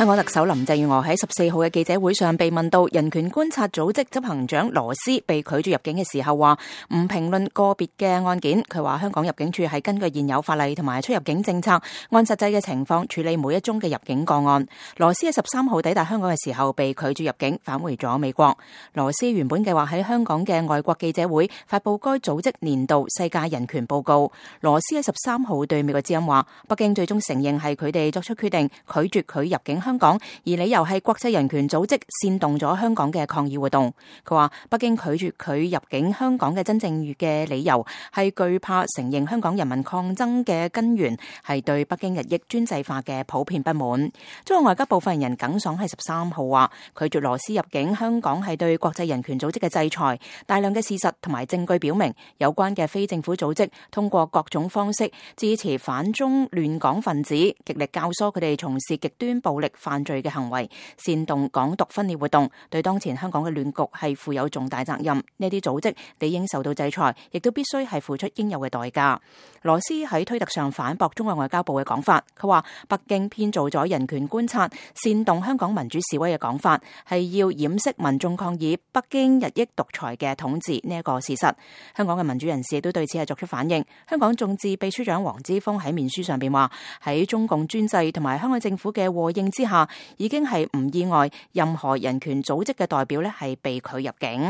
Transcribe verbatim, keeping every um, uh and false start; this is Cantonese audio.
香港特首林鄭月娥喺十四號嘅記者會上被問到人權觀察組織執行長羅斯被拒絕入境嘅時候，話唔評論個別嘅案件。佢話香港入境處係根據現有法例同埋出入境政策，按實際嘅情況處理每一宗嘅入境個案。羅斯喺十三號抵達香港嘅時候被拒絕入境，返回咗美國。羅斯原本計劃喺香港嘅外國記者會發佈該組織年度世界人權報告。羅斯喺十三號對美國之音話，北京最終承認係佢哋作出決定，拒絕佢入境香港，而理由係國際人權組織煽動咗香港嘅抗議活動。佢話北京拒絕佢入境香港嘅真正嘅理由係懼怕承認香港人民抗爭嘅根源係對北京日益專制化嘅普遍不滿。中國外交部發言人耿爽喺十三號話，拒絕羅斯入境香港係對國際人權組織嘅制裁。大量嘅事實同埋證據表明，有關嘅非政府組織通過各種方式支持反中亂港分子，極力教唆佢哋從事極端暴力犯罪嘅行為，煽動港獨分裂活動，對當前香港嘅亂局係負有重大責任。呢啲組織理應受到制裁，亦都必須係付出應有嘅代價。羅斯喺推特上反駁中國外交部嘅講法，佢話北京編造咗人權觀察煽動香港民主示威嘅講法，係要掩飾民眾抗議北京日益獨裁嘅統治呢一個事實。香港嘅民主人士亦都對此係作出反應。香港眾志秘書長黃之鋒喺面書上邊話，喺中共專制同埋香港政府嘅和應之下，已經係唔意外任何人權組織嘅代表咧係被拒入境。